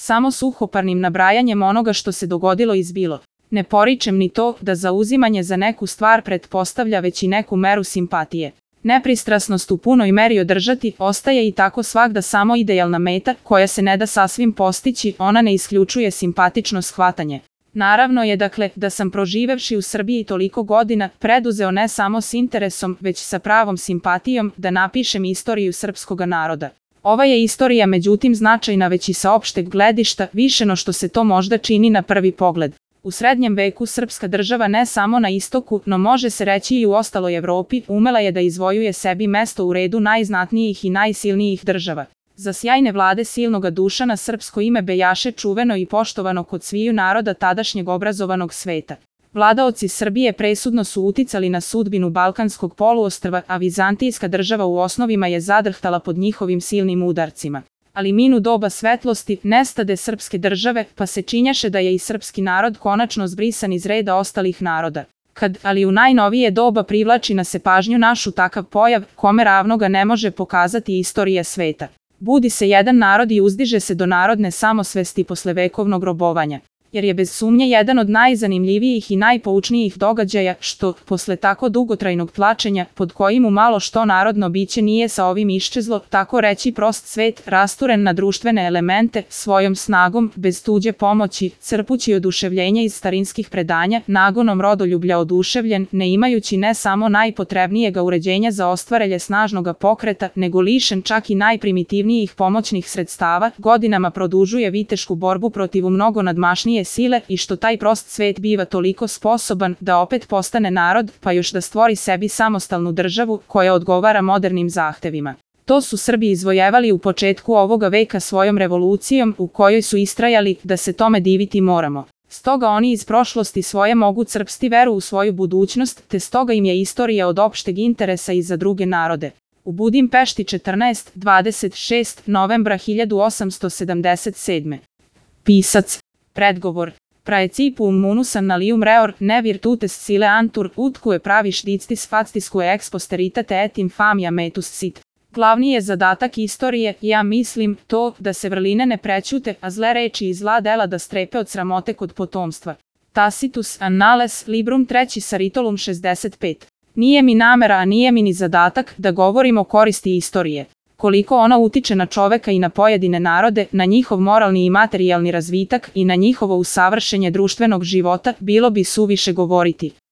samo suhoparnim nabrajanjem onoga što se dogodilo i zbilo. Ne poričem ni to da zauzimanje za neku stvar pretpostavlja već i neku meru simpatije. Nepristrasnost u punoj meri održati ostaje i tako svagda samo idealna meta koja se ne da sasvim postići, ona ne isključuje simpatično shvatanje. Naravno je dakle da sam proživevši u Srbiji toliko godina preduzeo ne samo s interesom već sa pravom simpatijom da napišem istoriju srpskoga naroda. Ova je istorija međutim značajna već i sa opšteg gledišta više no što se to možda čini na prvi pogled. U srednjem veku srpska država ne samo na istoku, no može se reći i u ostaloj Evropi, umela je da izvojuje sebi mesto u redu najznatnijih i najsilnijih država. Za sjajne vlade silnoga Dušana srpsko ime bejaše čuveno i poštovano kod sviju naroda tadašnjeg obrazovanog sveta. Vladaoci Srbije presudno su uticali na sudbinu Balkanskog poluostrva, a vizantijska država u osnovima je zadrhtala pod njihovim silnim udarcima. Ali minu doba svetlosti, nestade srpske države, pa se činjaše da je i srpski narod konačno zbrisan iz reda ostalih naroda. Ali u najnovije doba privlači na se pažnju našu takav pojav, kome ravnoga ne može pokazati istorija sveta. Budi se jedan narod i uzdiže se do narodne samosvesti posle vekovnog robovanja. Jer je bez sumnje jedan od najzanimljivijih i najpoučnijih događaja što, posle tako dugotrajnog tlačenja, pod kojim u malo što narodno biće nije sa ovim iščezlo, tako reći prost svet, rasturen na društvene elemente, svojom snagom, bez tuđe pomoći, crpući oduševljenja iz starinskih predanja, nagonom rodoljublja oduševljen, ne imajući ne samo najpotrebnijega uređenja za ostvarelje snažnoga pokreta, nego lišen čak i najprimitivnijih pomoćnih sredstava, godinama produžuje vitešku borbu protiv mnogo nadmašnije sile i što taj prost svet biva toliko sposoban da opet postane narod, pa još da stvori sebi samostalnu državu koja odgovara modernim zahtevima. To su Srbi izvojevali u početku ovoga veka svojom revolucijom u kojoj su istrajali da se tome diviti moramo. Stoga oni iz prošlosti svoje mogu crpsti veru u svoju budućnost, te stoga im je istorija od opšteg interesa i za druge narode. U Budimpešti 14-26 novembra 1877. Pisac. Predgovor. Praecipum munusam nalium reor, ne virtutes sile antur, utque praviš dictis factisque ex posteritate et infamia metus sit. Glavni je zadatak istorije, ja mislim, to da se vrline ne prećute, a zle reči i zla dela da strepe od sramote kod potomstva. Tacitus Annales Librum 3 Saritolum 65. Nije mi namera, a nije mi ni zadatak da govorim o koristi istorije. Koliko ona utiče na čoveka i na pojedine narode, na njihov moralni i materijalni razvitak i na njihovo usavršenje društvenog života, bilo bi suviše govoriti.